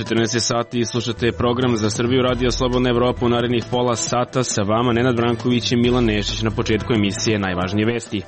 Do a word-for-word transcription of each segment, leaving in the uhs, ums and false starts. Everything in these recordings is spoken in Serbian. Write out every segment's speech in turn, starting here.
četrnaest sati i slušate program Za Srbiju Radio Slobodna Evropa. U narednih pola sata sa vama Nenad Branković i Milan Nešić. Na početku emisije najvažnije vesti.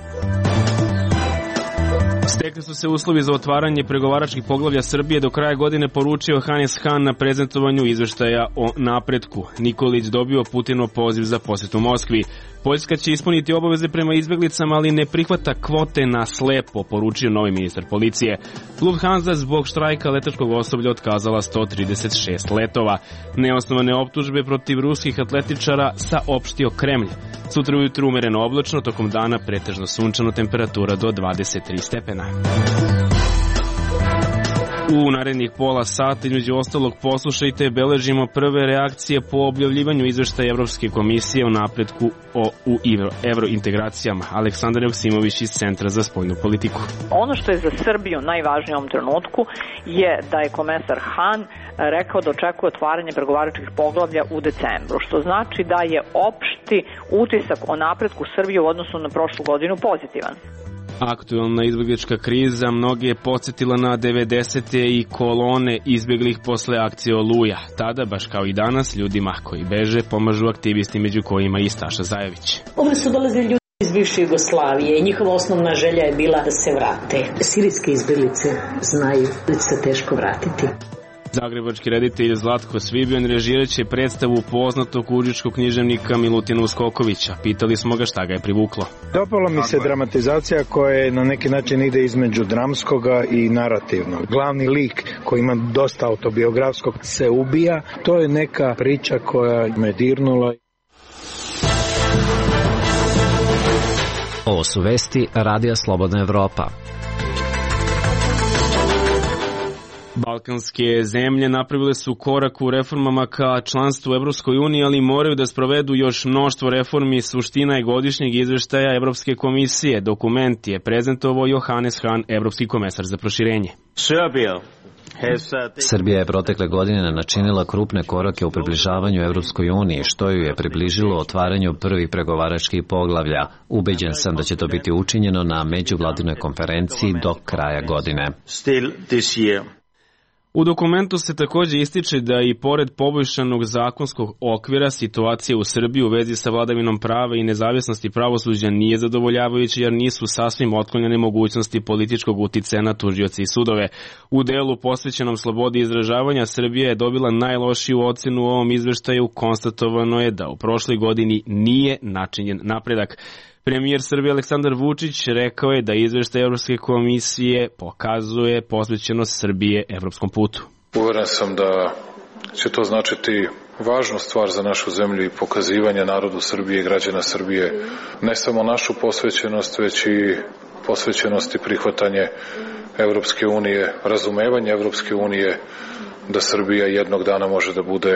Stekli su se uslovi za otvaranje pregovaračkih poglavlja Srbije do kraja godine, poručio Hannes Hahn na prezentovanju izveštaja o napretku. Nikolić dobio Putinov poziv za posetu Moskvi. Poljska će ispuniti obaveze prema izbeglicama, ali ne prihvata kvote na slepo, poručio novi ministar policije. Lufthansa zbog štrajka letačkog osoblja otkazala sto trideset šest letova. Neosnovane optužbe protiv ruskih atletičara saopštio Kremlj. Sutra ujutru umereno oblačno, tokom dana pretežno sunčano, temperatura do dvadeset tri stepena. U narednih pola sata, između ostalog, poslušajte, beležimo prve reakcije po objavljivanju izveštaja Evropske komisije o napretku o, u evrointegracijama. Aleksandar Joksimović iz Centra za spoljnu politiku. Ono što je za Srbiju najvažnije u ovom trenutku je da je komesar Hahn rekao da očekuje otvaranje pregovaračkih poglavlja u decembru, što znači da je opšti utisak o napretku Srbije u odnosu na prošlu godinu pozitivan. Aktualna izbeglička kriza mnoge je podsjetila na devedesete i kolone izbeglih posle akcije Oluja. Tada, baš kao i danas, ljudima koji beže pomažu aktivisti, među kojima i Staša Zajević. Ovdje su dolazili ljudi iz bivše Jugoslavije i njihova osnovna želja je bila da se vrate. Sirijske izbeglice znaju da će se teško vratiti. Zagrebački reditelj Zlatko Svibion režirat će predstavu poznatog užičkog književnika Milutina Uskokovića. Pitali smo ga šta ga je privuklo. Dopala mi se dramatizacija koja je na neki način ide između dramskoga i narativnog. Glavni lik koji ima dosta autobiografskog se ubija. To je neka priča koja me dirnula. Ovo su vesti Radija Slobodna Evropa. Balkanske zemlje napravile su korak u reformama ka članstvu u Evropskoj uniji, ali moraju da sprovedu još mnoštvo reformi. Suština je godišnjeg izveštaja Evropske komisije. Dokument je prezentovao Johannes Hahn, evropski komesar za proširenje. Srbija je protekle godine načinila krupne korake u približavanju Evropskoj uniji, što ju je približilo otvaranju prvih pregovaračkih poglavlja. Ubeđen sam da će to biti učinjeno na međuvladinoj konferenciji do kraja godine. U dokumentu se također ističe da i pored poboljšanog zakonskog okvira situacija u Srbiji u vezi sa vladavinom prava i nezavisnosti pravosuđa nije zadovoljavajuća, jer nisu sasvim otklonjene mogućnosti političkog uticaja na tužioce i sudove. U delu posvećenom slobodi izražavanja Srbija je dobila najlošiju ocenu u ovom izveštaju. Konstatovano je da u prošloj godini nije načinjen napredak. Premijer Srbije Aleksandar Vučić rekao je da izveštaj Evropske komisije pokazuje posvećenost Srbije evropskom putu. Uveren sam da će to značiti važnu stvar za našu zemlju i pokazivanje narodu Srbije i građana Srbije, ne samo našu posvećenost, već i posvećenost i prihvatanje Evropske unije, razumevanje Evropske unije da Srbija jednog dana može da bude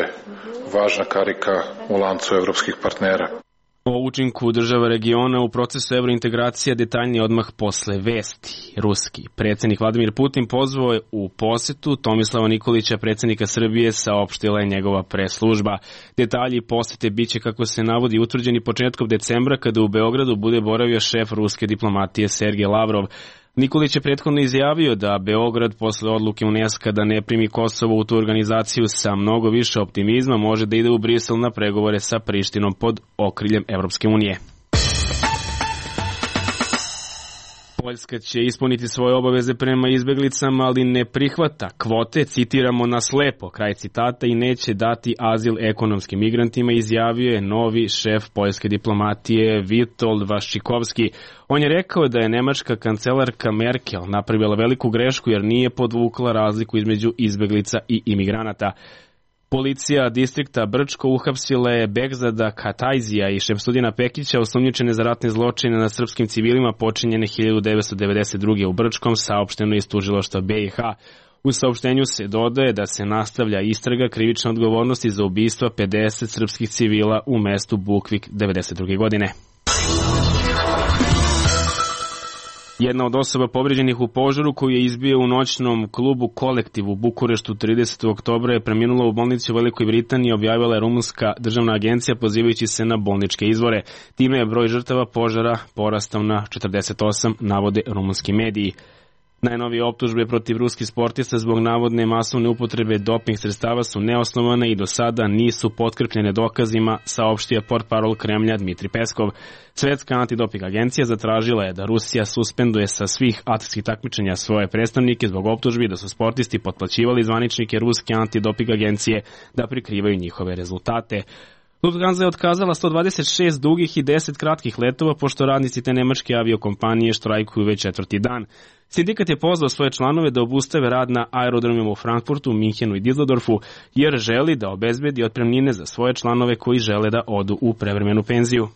važna karika u lancu evropskih partnera. O učinku država regiona u procesu evrointegracija detaljnije odmah posle vesti. Ruski predsjednik Vladimir Putin pozvao je u posetu Tomislava Nikolića, predsjednika Srbije, saopštila je njegova preslužba. Detalji posete biće, kako se navodi, utvrđeni početkom decembra, kada u Beogradu bude boravio šef ruske diplomatije Sergej Lavrov. Nikolić je prethodno izjavio da Beograd posle odluke UNESCO da ne primi Kosovo u tu organizaciju sa mnogo više optimizma može da ide u Brisel na pregovore sa Prištinom pod okriljem Evropske unije. Poljska će ispuniti svoje obaveze prema izbeglicama, ali ne prihvata kvote, citiramo, na slepo, kraj citata, i neće dati azil ekonomskim migrantima, izjavio je novi šef poljske diplomatije Witold Waszczykowski. On je rekao da je nemačka kancelarka Merkel napravila veliku grešku jer nije podvukla razliku između izbeglica i imigranata. Policija distrikta Brčko uhapsila je Begzada Katajzija i Šemsudina Pekića, osumnjičene za ratne zločine nad srpskim civilima počinjene hiljadu devetsto devedeset druge u Brčkom, saopšteno iz tužilaštva B i H. U saopštenju se dodaje da se nastavlja istraga krivične odgovornosti za ubistva pedeset srpskih civila u mestu Bukvik devedeset druge godine. Jedna od osoba povrijeđenih u požaru koju je izbio u noćnom klubu Kolektiv u Bukureštu tridesetog oktobra je preminula u bolnici u Velikoj Britaniji, objavila je rumunska državna agencija pozivajući se na bolničke izvore. Time je broj žrtava požara porastao na četrdeset osam, navode rumunski mediji. Najnovije optužbe protiv ruskih sportista zbog navodne masovne upotrebe doping sredstava su neosnovane i do sada nisu potkrepljene dokazima, saopštio portparol Kremlja Dmitri Peskov. Svetska antidoping agencija zatražila je da Rusija suspenduje sa svih atletskih takmičenja svoje predstavnike zbog optužbi da su sportisti potplaćivali zvaničnike ruske antidoping agencije da prikrivaju njihove rezultate. Lufthansa je otkazala sto dvadeset šest dugih i deset kratkih letova pošto radnici te nemačke aviokompanije štrajkuju već četvrti dan. Sindikat je pozvao svoje članove da obustave rad na aerodromima u Frankfurtu, Minhenu i Düsseldorfu jer želi da obezbedi otpremnine za svoje članove koji žele da odu u prevremenu penziju.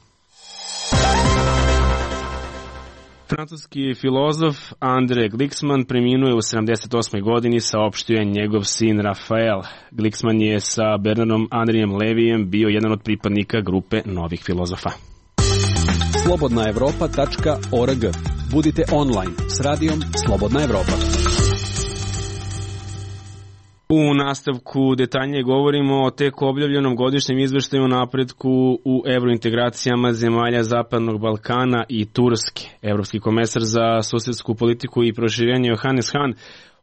Francuski filozof André Glixman preminuo je u sedamdeset osmoj godini, saopštio je njegov sin Rafael. Glixman je sa Bernardom Andrijem Levijem bio jedan od pripadnika grupe novih filozofa. slobodna evropa tačka org. Budite online s radijom Slobodna Evropa. U nastavku detaljnije govorimo o tek objavljenom godišnjem izveštaju o napretku u evrointegracijama zemalja Zapadnog Balkana i Turske. Evropski komesar za susedsku politiku i proširenje Johannes Hahn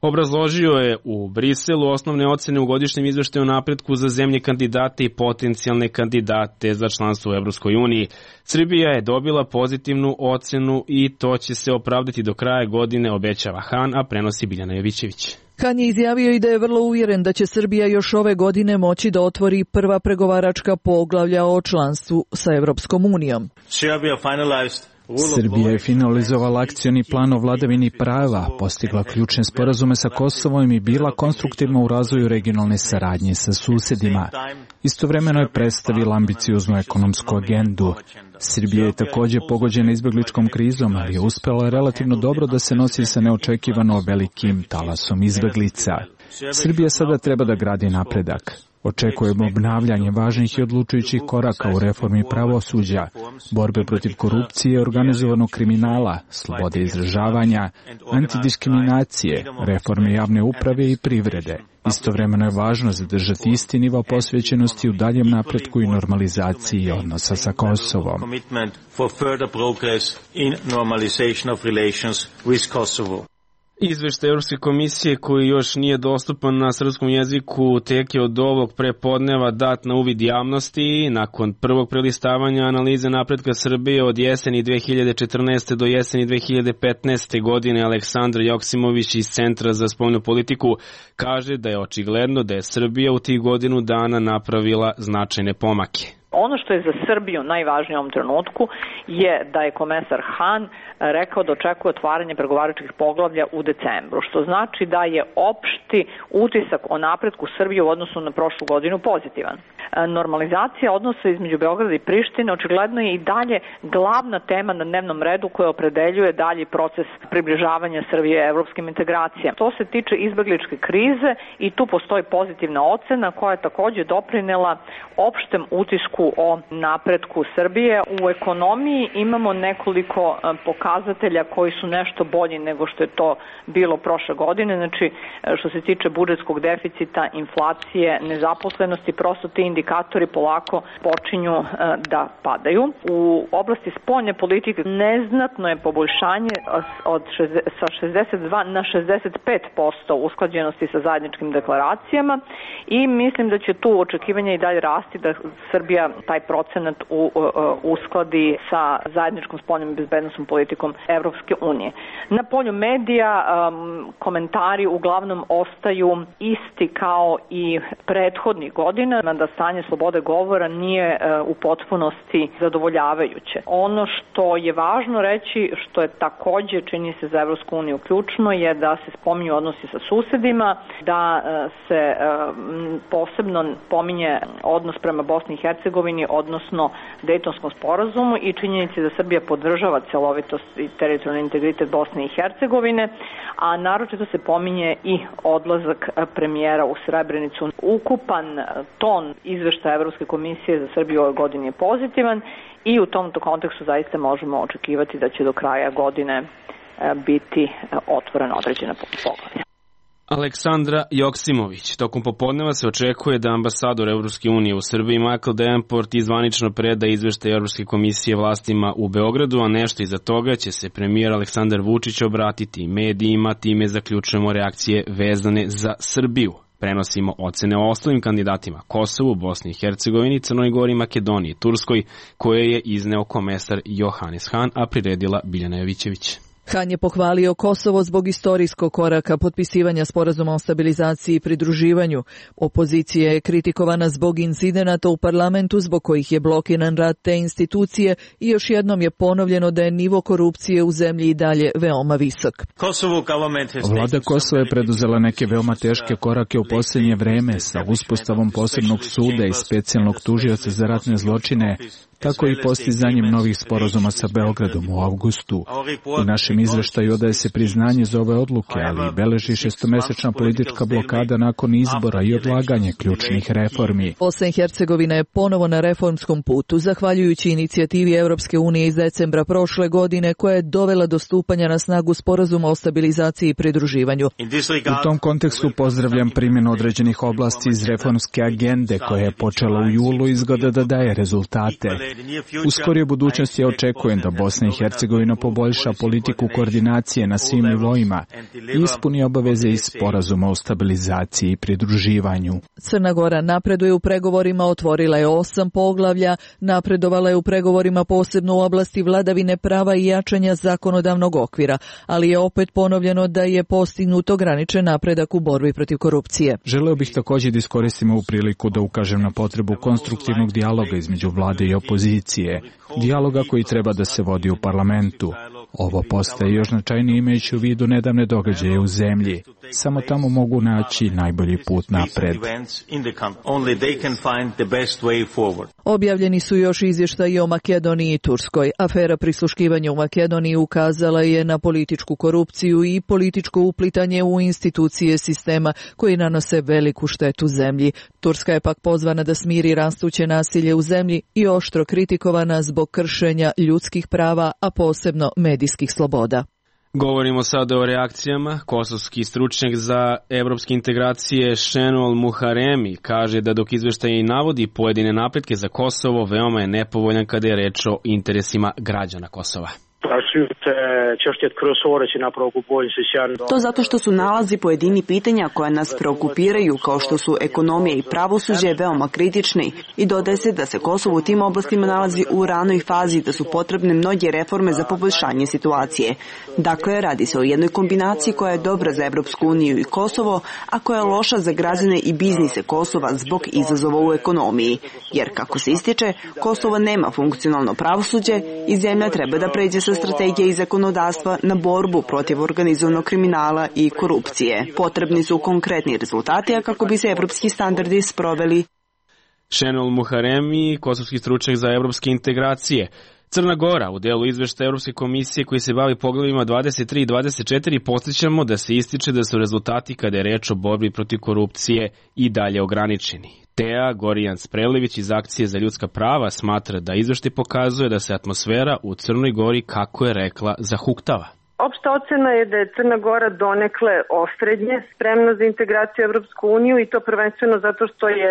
obrazložio je u Briselu osnovne ocene u godišnjem izveštaju o napretku za zemlje kandidate i potencijalne kandidate za članstvo u Evropskoj uniji. Srbija je dobila pozitivnu ocenu i to će se opravdati do kraja godine, obećava Hahn, a prenosi Biljana Jovićević. Hahn je izjavio i da je vrlo uvjeren da će Srbija još ove godine moći da otvori prva pregovaračka poglavlja o članstvu sa Evropskom unijom. Srbija je finalizovala akcioni plan o vladavini prava, postigla ključne sporazume sa Kosovom i bila konstruktivna u razvoju regionalne saradnje sa susedima. Istovremeno je predstavila ambicioznu ekonomsku agendu. Srbija je također pogođena izbegličkom krizom, ali je uspela relativno dobro da se nosi sa neočekivano velikim talasom izbeglica. Srbija sada treba da gradi napredak. Očekujemo obnavljanje važnih i odlučujućih koraka u reformi pravosuđa, borbe protiv korupcije i organizovanog kriminala, slobode izražavanja, antidiskriminacije, reforme javne uprave i privrede. Istovremeno je važno zadržati isti nivo posvećenosti u daljem napretku i normalizaciji odnosa sa Kosovom. Izveštaj Evropske komisije koji još nije dostupan na srpskom jeziku tek je od ovog prepodneva dat na uvid javnosti. Nakon prvog prelistavanja analize napretka Srbije od jeseni dve hiljade četrnaeste. do jeseni dve hiljade petnaeste. godine Aleksandar Joksimović iz Centra za spoljnu politiku kaže da je očigledno da je Srbija u tih godinu dana napravila značajne pomake. Ono što je za Srbiju najvažnije u ovom trenutku je da je komesar Hahn rekao da očekuje otvaranje pregovaračkih poglavlja u decembru, što znači da je opšti utisak o napretku Srbije u odnosu na prošlu godinu pozitivan. Normalizacija odnosa između Beograda i Prištine očigledno je i dalje glavna tema na dnevnom redu koja opredeljuje dalji proces približavanja Srbije evropskim integracijama. To se tiče izbegličke krize i tu postoji pozitivna ocena koja je također doprinela opštem utisku o napretku Srbije. U ekonomiji imamo nekoliko pokazatelja koji su nešto bolji nego što je to bilo prošle godine. Znači, što se tiče budžetskog deficita, inflacije, nezaposlenosti, prosto ti indikatori polako počinju da padaju. U oblasti spoljne politike neznatno je poboljšanje od sa šezdeset dva na šezdeset pet posto usklađenosti sa zajedničkim deklaracijama i mislim da će tu očekivanja i dalje rasti da Srbija taj procenat u, u, uskladi sa zajedničkom spoljnom i bezbednosnom politikom Evropske unije. Na polju medija um, komentari uglavnom ostaju isti kao i prethodnih godina, da stanje slobode govora nije uh, u potpunosti zadovoljavajuće. Ono što je važno reći, što je također čini se za Evropsku uniju ključno, je da se spominju odnosi sa susedima, da uh, se uh, posebno pominje odnos prema Bosni i Hercegovini, odnosno Dejtonskom sporazumu i činjenici da Srbija podržava celovitost i teritorijalni integritet Bosne i Hercegovine, a naročito se pominje i odlazak premijera u Srebrenicu. Ukupan ton izveštaja Evropske komisije za Srbiju ove godine je pozitivan i u tom kontekstu zaista možemo očekivati da će do kraja godine biti otvorena određena poglavlja. Aleksandra Joksimović. Tokom popodneva se očekuje da ambasador Evropske unije u Srbiji Michael Davenport izvanično preda izveštaj Evropske komisije vlastima u Beogradu, a nešto iza toga će se premijer Aleksandar Vučić obratiti medijima, time zaključujemo reakcije vezane za Srbiju. Prenosimo ocene o ostalim kandidatima Kosovu, Bosni i Hercegovini, Crnoj Gori, Makedoniji i Turskoj, koje je izneo komesar Johannes Hahn, a priredila Biljana Jovićević. Hahn je pohvalio Kosovo zbog istorijskog koraka potpisivanja sporazuma o stabilizaciji i pridruživanju. Opozicija je kritikovana zbog incidenata u parlamentu zbog kojih je blokiran rad te institucije i još jednom je ponovljeno da je nivo korupcije u zemlji i dalje veoma visok. Vlada Kosova je preduzela neke veoma teške korake u posljednje vreme sa uspostavom posebnog suda i specijalnog tužioca za ratne zločine, tako i postizanjem novih sporazuma sa Beogradom u avgustu. U našem izveštaju odaje se priznanje za ove odluke, ali beleži šestomesečna politička blokada nakon izbora i odlaganje ključnih reformi. Bosna i Hercegovina je ponovo na reformskom putu, zahvaljujući inicijativi Evropske unije iz decembra prošle godine, koja je dovela do stupanja na snagu sporazuma o stabilizaciji i pridruživanju. U tom kontekstu pozdravljam primjenu određenih oblasti iz reformske agende, koja je počela u julu i izgleda da daje rezultate. U skorijoj budućnosti ja očekujem da Bosna i Hercegovina poboljša politiku koordinacije na svim nivoima i ispuni obaveze iz sporazuma o stabilizaciji i pridruživanju. Crna Gora napreduje u pregovorima, otvorila je osam poglavlja, napredovala je u pregovorima posebno u oblasti vladavine prava i jačanja zakonodavnog okvira, ali je opet ponovljeno da je postignut ograničen napredak u borbi protiv korupcije. Želeo bih također da iskoristim ovu priliku da ukažem na potrebu konstruktivnog dijaloga između vlade i opozicije, dijaloga koji treba da se vodi u parlamentu. Ovo postaje još značajnije imajući u vidu nedavne događaje u zemlji. Samo tamo mogu naći najbolji put napred. Objavljeni su još izvještaji o Makedoniji i Turskoj. Afera prisluškivanja u Makedoniji ukazala je na političku korupciju i političko uplitanje u institucije sistema koji nanose veliku štetu zemlji. Turska je pak pozvana da smiri rastuće nasilje u zemlji i oštro kritikovana zbog kršenja ljudskih prava, a posebno medijskih sloboda. Govorimo sada o reakcijama. Kosovski stručnjak za evropske integracije Šenol Muharemi kaže da dok izveštaj i navodi pojedine napretke za Kosovo, veoma je nepovoljan kada je reč o interesima građana Kosova. To zato što su nalazi pojedini pitanja koja nas preokupiraju, kao što su ekonomija i pravosuđe, veoma kritični i dodaje se da se Kosovo u tim oblastima nalazi u ranoj fazi, da su potrebne mnoge reforme za poboljšanje situacije. Dakle, radi se o jednoj kombinaciji koja je dobra za Evropsku uniju i Kosovo, a koja je loša za građane i biznise Kosova zbog izazova u ekonomiji. Jer, kako se ističe, Kosovo nema funkcionalno pravosuđe i zemlja treba da pređe sa strategije i zakonodavstva na borbu protiv organizovanog kriminala i korupcije. Potrebni su konkretni rezultati, a kako bi se evropski standardi sproveli. Šenol Muharemi, kosovski stručnjak za evropske integracije. Crna Gora, u delu izveštaja Evropske komisije koji se bavi poglavljima dvadeset tri i dvadeset četiri, podsjećamo da se ističe da su rezultati kada je reč o borbi protiv korupcije i dalje ograničeni. Tea Gorijan Sprelević iz Akcije za ljudska prava smatra da izveštaj pokazuje da se atmosfera u Crnoj Gori, kako je rekla, zahuktava. Opšta ocena je da je Crna Gora donekle osrednje spremna za integraciju u Evropsku uniju i to prvenstveno zato što je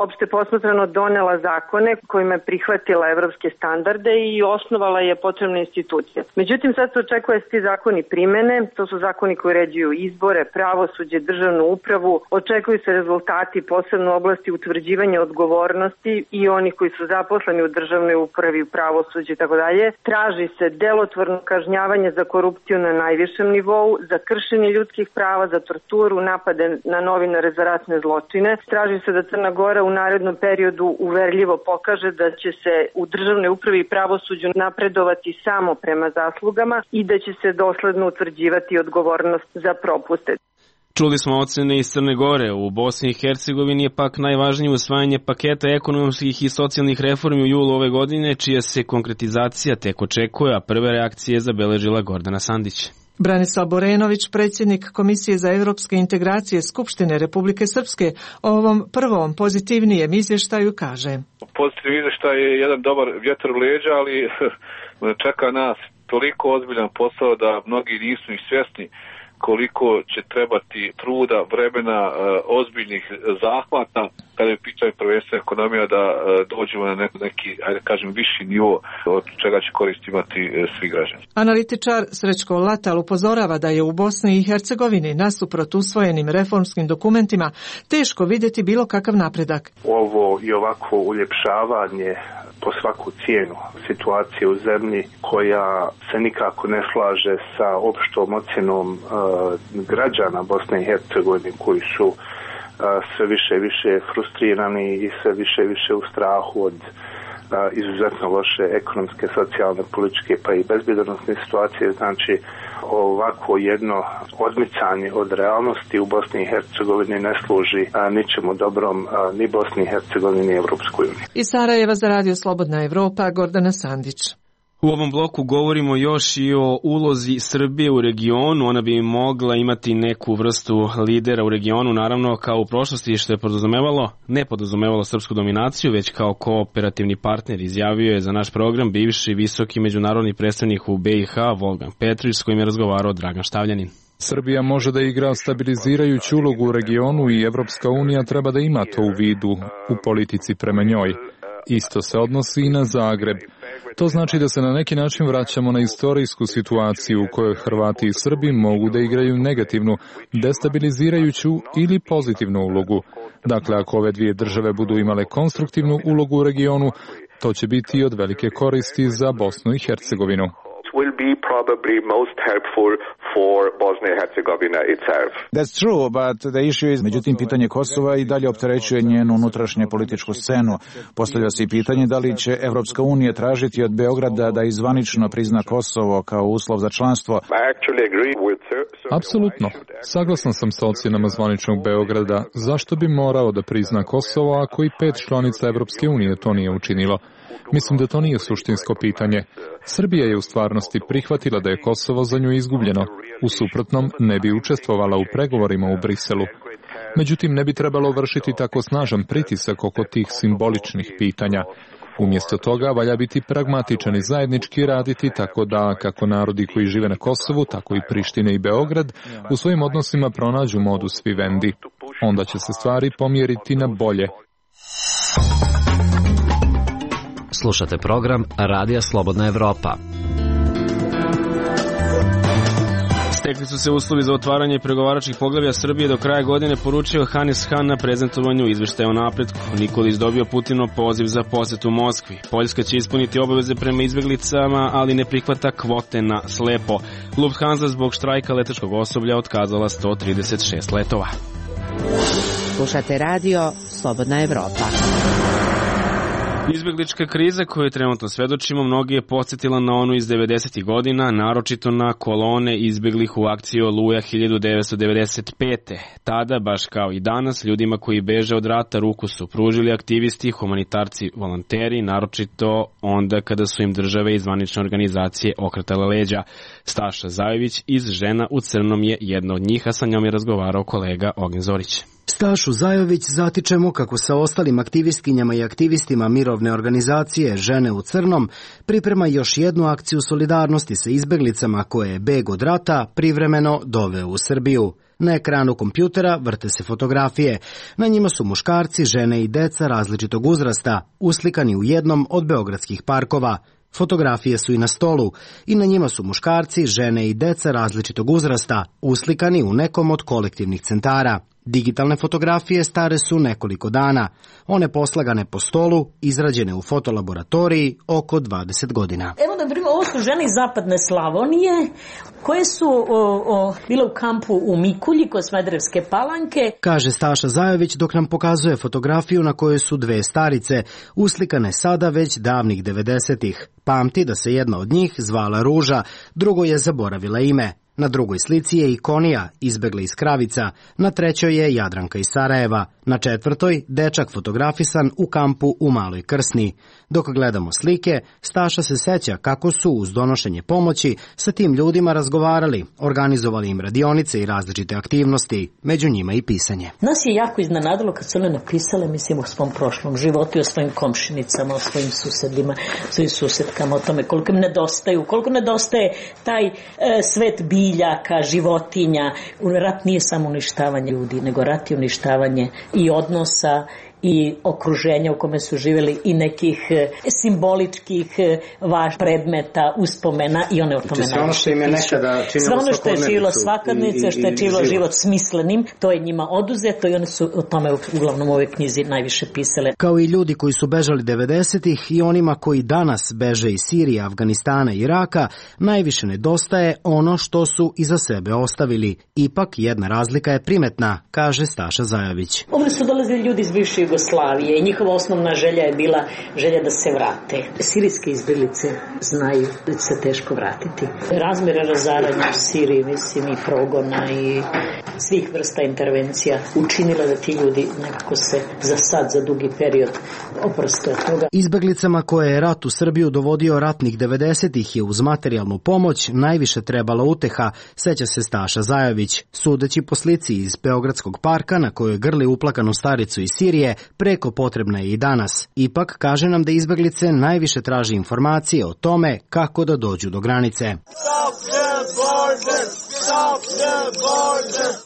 opšte posmatrano donela zakone kojima je prihvatila evropske standarde i osnovala je potrebne institucije. Međutim, sad se očekuje da se ti zakoni primene, to su zakoni koji uređuju izbore, pravosuđe, državnu upravu, očekuju se rezultati posebno u oblasti utvrđivanja odgovornosti i onih koji su zaposleni u državnoj upravi, u pravosuđu i tako dalje. Traži se delotvorno kažnjavanje za korupciju na najvišem nivou, za kršenje ljudskih prava, za torturu, napade na novinare za ratne zločine. Traži se da Crna Gora u narednom periodu uverljivo pokaže da će se u državnoj upravi i pravosuđu napredovati samo prema zaslugama i da će se dosledno utvrđivati odgovornost za propuste. Čuli smo ocene iz Crne Gore. U Bosni i Hercegovini je pak najvažnije usvajanje paketa ekonomskih i socijalnih reformi u julu ove godine, čija se konkretizacija tek očekuje, a prve reakcije je zabeležila Gordana Sandić. Branislav Borenović, predsjednik Komisije za evropske integracije Skupštine Republike Srpske, o ovom prvom pozitivnijem izvještaju kaže. Pozitivni izvještaj je jedan dobar vjetar u leđa, ali čeka nas toliko ozbiljan posao da mnogi nisu ni svjesni koliko će trebati truda, vremena, ozbiljnih zahvata kada je pitanje prvenstveno ekonomija da dođemo na neki, ajde kažem, viši nivo od čega će korist imati svi građani. Analitičar Srećko Latal upozorava da je u Bosni i Hercegovini nasuprot usvojenim reformskim dokumentima teško vidjeti bilo kakav napredak. Ovo i ovakvo uljepšavanje po svaku cijenu situacije u zemlji koja se nikako ne slaže sa opštom ocjenom uh, građana Bosne i Hercegovine koji su uh, sve više i više frustrirani i sve više i više u strahu od uh, izuzetno loše ekonomske, socijalne, političke pa i bezbjednosne situacije. Znači ovako jedno odmicanje od realnosti u Bosni i Hercegovini ne služi a, ničemu dobrom a, ni Bosni i Hercegovini ni Evropskoj uniji. Iz Sarajeva za Radio Slobodna Evropa, Gordana Sandić. U ovom bloku govorimo još i o ulozi Srbije u regionu. Ona bi mogla imati neku vrstu lidera u regionu, naravno kao u prošlosti, što je podrazumevalo, ne podrazumevalo srpsku dominaciju, već kao kooperativni partner, izjavio je za naš program bivši visoki međunarodni predstavnik u B i H Volgan Petrić, s kojim je razgovarao Dragan Štavljanin. Srbija može da igra stabilizirajuću ulogu u regionu i Evropska unija treba da ima to u vidu u politici prema njoj. Isto se odnosi i na Zagreb. To znači da se na neki način vraćamo na istorijsku situaciju u kojoj Hrvati i Srbi mogu da igraju negativnu, destabilizirajuću ili pozitivnu ulogu. Dakle, ako ove dvije države budu imale konstruktivnu ulogu u regionu, to će biti od velike koristi za Bosnu i Hercegovinu. Will be probably most helpful for Bosnia and Herzegovina itself. That's true, but the issue is... Međutim, pitanje Kosova i dalje opterećuje njenu unutrašnje političku scenu. Postavlja se i pitanje da li će Evropska unija tražiti od Beograda da izvanično prizna Kosovo kao uslov za članstvo. Apsolutno. Saglasan sam sa ocjenama zvaničnog Beograda. Zašto bi morao da prizna Kosovo ako i pet članica Evropske unije to nije učinilo? Mislim da to nije suštinsko pitanje. Srbija je u stvarnosti prihvatila da je Kosovo za nju izgubljeno. U suprotnom, ne bi učestvovala u pregovorima u Briselu. Međutim, ne bi trebalo vršiti tako snažan pritisak oko tih simboličnih pitanja. Umjesto toga, valja biti pragmatičan i zajednički raditi tako da, kako narodi koji žive na Kosovu, tako i Prištine i Beograd, u svojim odnosima pronađu modus vivendi. Onda će se stvari pomjeriti na bolje. Slušate program Radija Slobodna Evropa. Stekli su se uslovi za otvaranje pregovaračkih poglavlja Srbije do kraja godine, poručio Hanis Han na prezentovanju izveštaja o napretku. Nikolić dobio Putinov poziv za posetu Moskvi. Poljska će ispuniti obaveze prema izbjeglicama, ali ne prihvata kvote na slepo. Lufthansa zbog štrajka letačkog osoblja otkazala sto trideset šest letova. Slušate radio Slobodna Evropa. Izbjeglička kriza koju trenutno svedočimo mnogi je podsjetila na onu iz devedesetih godina, naročito na kolone izbjeglih u akciji Oluja hiljadu devetsto devedeset pete. Tada, baš kao i danas, ljudima koji beže od rata ruku su pružili aktivisti, humanitarci, volonteri, naročito onda kada su im države i zvanične organizacije okretale leđa. Staša Zajović iz Žena u crnom je jedna od njih, a sa njom je razgovarao kolega Ognjen Zorić. Stašu Zajović zatičemo kako sa ostalim aktivistkinjama i aktivistima mirovne organizacije Žene u crnom priprema još jednu akciju solidarnosti sa izbeglicama koje je beg od rata privremeno doveo u Srbiju. Na ekranu kompjutera vrte se fotografije. Na njima su muškarci, žene i deca različitog uzrasta, uslikani u jednom od beogradskih parkova. Fotografije su i na stolu i na njima su muškarci, žene i deca različitog uzrasta, uslikani u nekom od kolektivnih centara. Digitalne fotografije stare su nekoliko dana. One poslagane po stolu, izrađene u fotolaboratoriji oko dvadeset godina. Evo, na primjer, ovo su žene iz zapadne Slavonije, koje su o, o, bile u kampu u Mikulji kod Smederevske Palanke. Kaže Staša Zajović dok nam pokazuje fotografiju na kojoj su dve starice, uslikane sada već davnih devedesetih. Pamti da se jedna od njih zvala Ruža, drugo je zaboravila ime. Na drugoj slici je Ikonija, izbegla iz Kravica, na trećoj je Jadranka iz Sarajeva, na četvrtoj dečak fotografisan u kampu u Maloj Krsni. Dok gledamo slike, Staša se seća kako su uz donošenje pomoći sa tim ljudima razgovarali, organizovali im radionice i različite aktivnosti, među njima i pisanje. Nas je jako iznenadilo kad su one napisale, mislim, o svom prošlom životu i o svojim komšinicama, o svojim susedima, svojim susedkama, o tome koliko im nedostaju, koliko nedostaje taj e, svet biljaka, životinja. Rat nije samo uništavanje ljudi, nego rat je uništavanje i odnosa i okruženja u kome su živjeli i nekih simboličkih vaš predmeta, uspomena i one o tome sve ono što im je nekada činilo sve ono što je činilo svakodnevnicu, što je činilo život. život smislenim, to je njima oduzeto i one su o tome uglavnom u ovoj knjizi najviše pisale. Kao i ljudi koji su bežali devedesetih i onima koji danas beže iz Sirije, Afganistana i Iraka, najviše nedostaje ono što su iza sebe ostavili. Ipak jedna razlika je primetna, kaže Staša Zajović. Ovdje su dolazili ljudi iz bivše Jugoslavije i njihova osnovna želja je bila želja da se vrate. Sirijske izbjeglice znaju da će se teško vratiti. Razmjere razaranja u Siriji, mislim, i progona i svih vrsta intervencija učinila da ti ljudi nekako se za sad, za dugi period oproste od toga. Izbjeglicama koje je rat u Srbiju dovodio ratnih devedesetih je uz materijalnu pomoć najviše trebala uteha, seća se Staša Zajović. Sudeći po slici iz Beogradskog parka na kojoj grli uplakanu staricu iz Sirije, preko potrebna je i danas. Ipak kaže nam da izbjeglice najviše traži informacije o tome kako da dođu do granice.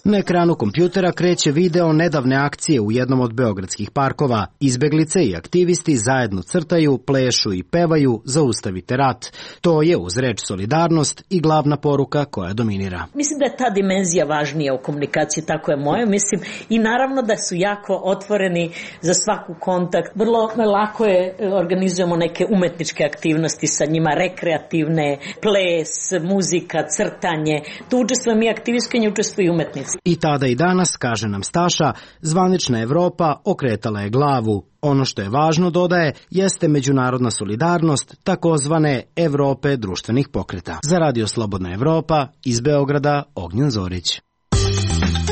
Na ekranu kompjutera kreće video nedavne akcije u jednom od beogradskih parkova. Izbjeglice i aktivisti zajedno crtaju, plešu i pevaju Zaustavite rat. To je uz reč solidarnost i glavna poruka koja dominira. Mislim da je ta dimenzija važnija u komunikaciji, tako je moje, mislim, i naravno da su jako otvoreni za svaku kontakt. Vrlo lako je, organizujemo neke umetničke aktivnosti sa njima, rekreativne, ples, muzika, crtanje. Tu učestvujemo i aktivistkinje, učestvuju i umetnici. I tada i danas, kaže nam Staša, zvanična Evropa okretala je glavu. Ono što je važno, dodaje, jeste međunarodna solidarnost takozvane Evrope društvenih pokreta. Za Radio Slobodna Evropa, iz Beograda, Ognjen Zorić.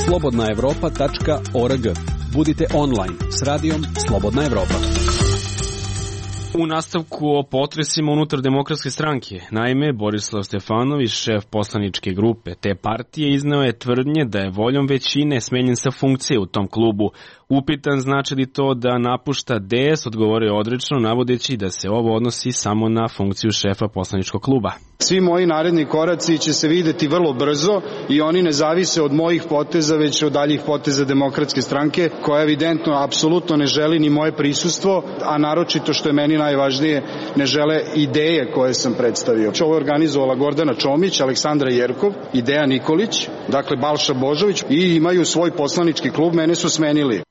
slobodna evropa tačka org. Budite online s radijom Slobodna Evropa. U nastavku o potresima unutar Demokratske stranke. Naime, Borislav Stefanović, šef poslaničke grupe te partije, izneo je tvrdnje da je voljom većine smenjen sa funkcije u tom klubu. Upitan znači li to da napušta D S, odgovorio odrečno, navodeći da se ovo odnosi samo na funkciju šefa poslaničkog kluba. Svi moji naredni koraci će se videti vrlo brzo i oni ne zavise od mojih poteza, već od daljih poteza Demokratske stranke, koja evidentno apsolutno ne želi ni moje prisustvo, a naročito što je meni najvažnije, ne žele ideje koje sam predstavio. Ovo je organizovala Gordana Čomić, Aleksandra Jerkov i Dejan Nikolić, dakle Balša Božović, i imaju svoj poslanički klub, mene su smenili.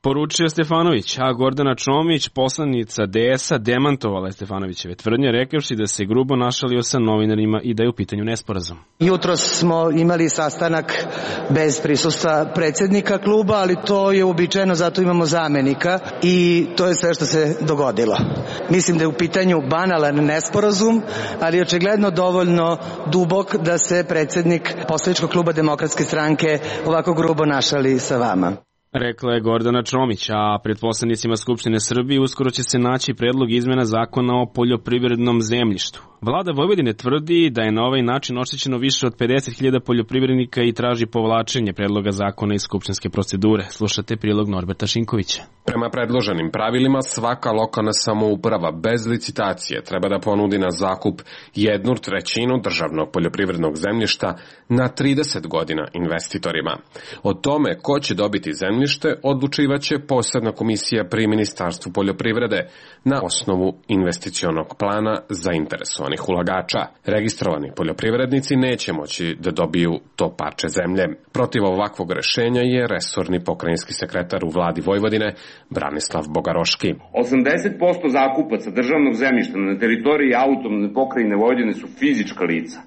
Poručio Stefanović, a Gordana Čomić, poslanica D S-a, demantovala je Stefanovićeve tvrdnje, rekavši da se grubo našalio sa novinarima i da je u pitanju nesporazum. Jutros smo imali sastanak bez prisustva predsjednika kluba, ali to je uobičajeno, zato imamo zamenika i to je sve što se dogodilo. Mislim da je u pitanju banalan nesporazum, ali očigledno dovoljno dubok da se predsjednik poslaničkog kluba Demokratske stranke ovako grubo našali sa vama. Rekla je Gordana Čomić, a pred poslanicima Skupštine Srbije uskoro će se naći predlog izmena zakona o poljoprivrednom zemljištu. Vlada Vojvodine tvrdi da je na ovaj način oštećeno više od pedeset hiljada poljoprivrednika i traži povlačenje predloga zakona iz skupštinske procedure. Slušate prilog Norberta Šinkovića. Prema predloženim pravilima, svaka lokalna samouprava bez licitacije treba da ponudi na zakup jednu trećinu državnog poljoprivrednog zemljišta na trideset godina investitorima. O tome ko će dobiti zemljište odlučivaće posebna komisija pri Ministarstvu poljoprivrede na osnovu investicionog plana zainteresovanih ulagača. Registrovani poljoprivrednici neće moći da dobiju to parče zemlje. Protiv ovakvog rešenja je resorni pokrajinski sekretar u vladi Vojvodine Branislav Bogaroški. osamdeset posto zakupaca državnog zemljišta na teritoriji autonomne pokrajine Vojvodine su fizička lica,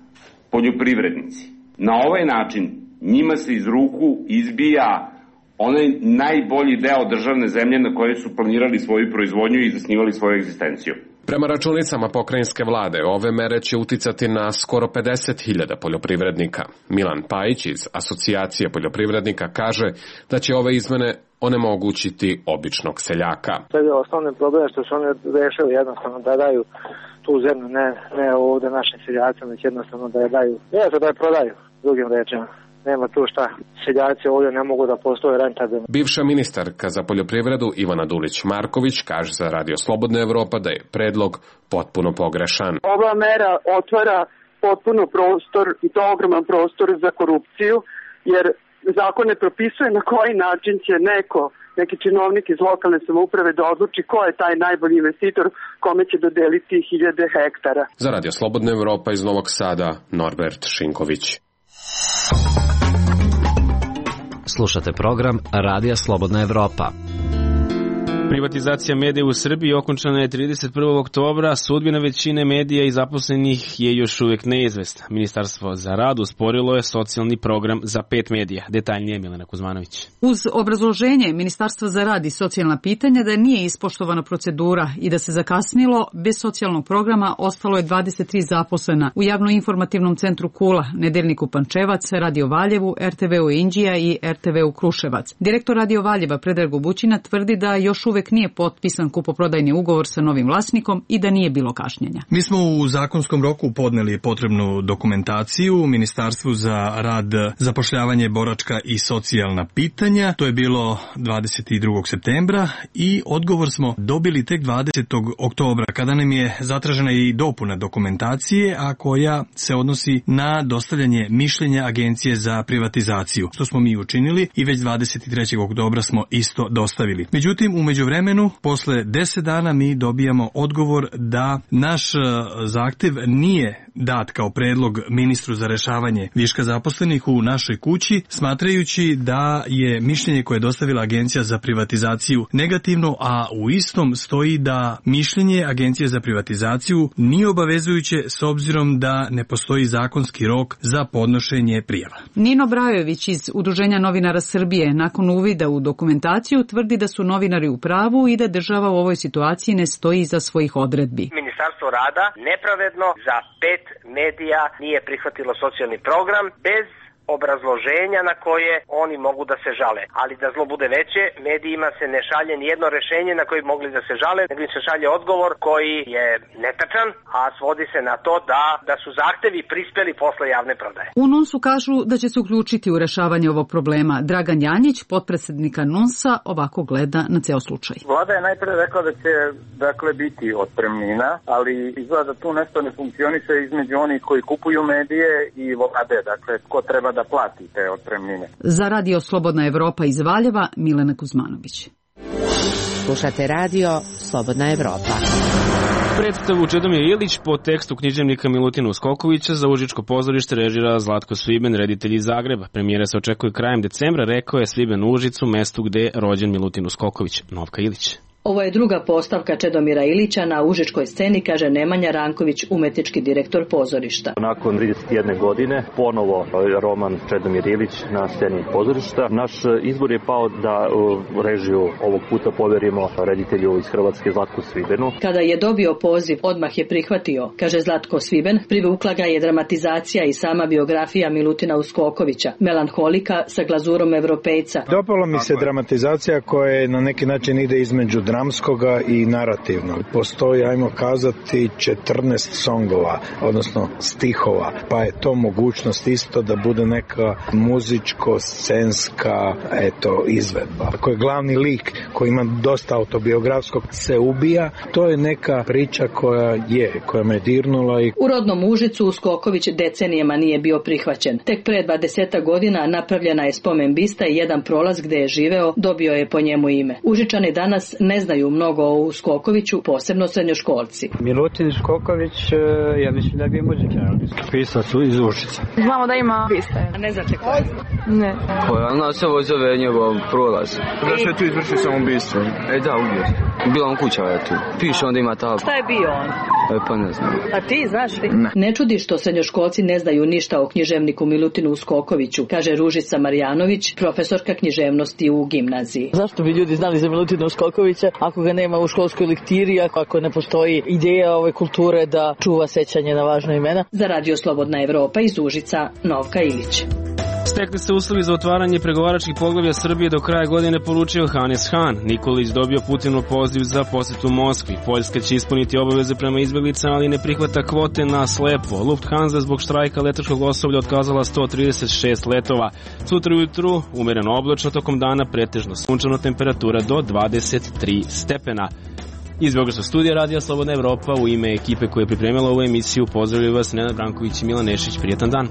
poljoprivrednici. Na ovaj način njima se iz ruku izbija onaj najbolji deo državne zemlje na kojoj su planirali svoju proizvodnju i zasnivali svoju egzistenciju. Prema računicama pokrajinske vlade, ove mere će uticati na skoro pedeset hiljada poljoprivrednika. Milan Pajić iz Asocijacije poljoprivrednika kaže da će ove izmene onemogućiti običnog seljaka. Sad je osnovni problem što su oni rešili jednostavno da daju tu zemlju, ne, ne ovde našim seljacima, već jednostavno da je daju, ne da je prodaju, drugim rečima. Nema tu šta, seljaci ovdje ne mogu da postoje rentabilno. Bivša ministarka za poljoprivredu Ivana Dulić-Marković kaže za Radio Slobodna Evropa da je predlog potpuno pogrešan. Ova mera otvara potpuno prostor i to ogroman prostor za korupciju, jer zakon ne propisuje na koji način će neko, neki činovnik iz lokalne samouprave da odluči ko je taj najbolji investitor kome će dodeliti hiljade hektara. Za Radio Slobodna Evropa iz Novog Sada, Norbert Šinković. Slušate program Radija Slobodna Evropa. Privatizacija medija u Srbiji okončana je trideset prvog oktobra, sudbina većine medija i zaposlenih je još uvek neizvesna. Ministarstvo za rad usporilo je socijalni program za pet medija. Detaljnije Milena Kuzmanović. Uz obrazloženje Ministarstva za rad i socijalna pitanja da nije ispoštovana procedura i da se zakasnilo, bez socijalnog programa ostalo je dvadeset tri zaposlena u javno-informativnom centru Kula, Nedeljniku Pančevac, Radio Valjevu, er te ve u Inđija i er te ve u Kruševac. Direktor Radio Valjeva Predrag Bućina tvrdi da još uvek nije potpisan kupoprodajni ugovor sa novim vlasnikom i da nije bilo kašnjenja. Mi smo u zakonskom roku podneli potrebnu dokumentaciju Ministarstvu za rad, zapošljavanje, boračka i socijalna pitanja. To je bilo dvadeset drugog septembra i odgovor smo dobili tek dvadesetog oktobra, kada nam je zatražena i dopuna dokumentacije, a koja se odnosi na dostavljanje mišljenja Agencije za privatizaciju, što smo mi učinili i već dvadeset trećeg oktobra smo isto dostavili. Međutim, u međuvremenu, posle deset dana mi dobijamo odgovor da naš zahtev nije dat kao predlog ministru za rešavanje viška zaposlenih u našoj kući, smatrajući da je mišljenje koje je dostavila Agencija za privatizaciju negativno, a u istom stoji da mišljenje Agencije za privatizaciju nije obavezujuće s obzirom da ne postoji zakonski rok za podnošenje prijava. Nino Brajović iz Udruženja novinara Srbije nakon uvida u dokumentaciju tvrdi da su novinari u pravu i da država u ovoj situaciji ne stoji iza svojih odredbi. Ministarstvo rada nepravedno za pet medija nije prihvatilo socijalni program bez obrazloženja na koje oni mogu da se žale. Ali da zlo bude veće, medijima se ne šalje nijedno rešenje na koje mogli da se žale, nego im se šalje odgovor koji je netačan, a svodi se na to da, da su zahtevi prispeli posle javne prodaje. U NUNS-u kažu da će se uključiti u rešavanje ovog problema. Dragan Janjić, potpredsednika NUNS-a, ovako gleda na ceo slučaj. Vlada je najpre rekla da će dakle biti otpremnina, ali izgleda da tu nešto ne funkcioniše između onih koji kupuju medije i vlade, dakle ko treba da da plati te otpremnine. Za Radio Slobodna Evropa iz Valjeva, Milena Kuzmanović. Slušate Radio Slobodna Evropa. Predstavu Čedomir Ilić po tekstu književnika Milutina Uskokovića za Užičko pozorište režira Zlatko Sviben, reditelj iz Zagreba. Premijera se očekuje krajem decembra, rekao je Sviben u Užicu, mestu gde je rođen Milutin Uskoković. Novka Ilić. Ovo je druga postavka Čedomira Ilića na užičkoj sceni, kaže Nemanja Ranković, umetnički direktor pozorišta. Nakon trideset jedne godine ponovo roman Čedomir Ilić na sceni pozorišta. Naš izbor je pao da režiju ovog puta poverimo reditelju iz Hrvatske Zlatku Svibenu. Kada je dobio poziv, odmah je prihvatio, kaže Zlatko Sviben. Privukla ga je dramatizacija i sama biografija Milutina Uskokovića, melanholika sa glazurom evropejca. Dopala mi se dramatizacija koja na neki način ide između dramskoga i narativnog. Postoji, ajmo kazati, četrnaest songova, odnosno stihova, pa je to mogućnost isto da bude neka muzičko-scenska eto, izvedba. Ako je glavni lik koji ima dosta autobiografskog se ubija, to je neka priča koja je, koja me dirnula. I... U rodnom Užicu Uskoković decenijama nije bio prihvaćen. Tek pre dvadeset godina napravljena je spomen bista i jedan prolaz gde je živeo dobio je po njemu ime. Užičani danas ne znaju mnogo o Uskokoviću, posebno srednjoškolci. Milutin Uskoković, ja mislim da je bio muzičar. Pisac iz Užica. Znamo da ima biste. A ne znate ko je? Ne. Pa ja nas ovo zove njegov prolaz. Znaš je tu izvrši samoubistvo? E da, uvijek. Bila on kuća je tu. Piše onda ima tabla. Šta je bio on? E pa ne znam. A ti znaš li? Ne. Ne čudi što srednjoškolci ne znaju ništa o književniku Milutinu Uskokoviću, kaže Ružica Marjanović, profesorka književnosti u gimnaziji. Zašto bi ljudi znali za Milutina Uskokovića? ako ga nema u školskoj lektiri, ako ne postoji ideja ove kulture da čuva sećanje na važna imena. Za Radio Slobodna Evropa iz Užica, Novka Ilić. Stekli se uslovi za otvaranje pregovaračkih poglavlja Srbije do kraja godine, poručio Hannes Hahn. Nikolić dobio Putinov poziv za posetu Moskvi. Poljska će ispuniti obaveze prema izbeglicama, ali ne prihvata kvote na slepo. Lufthansa zbog štrajka letačkog osoblja otkazala sto trideset šest letova. Sutra ujutru umereno oblačno, tokom dana pretežno sunčano, temperatura do dvadeset tri stepena. Iz Beogradskog studija Radija Slobodna Evropa u ime ekipe koja je pripremila ovu emisiju pozdravljaju vas Nenad Branković i Milan Nešić. Prijetan dan.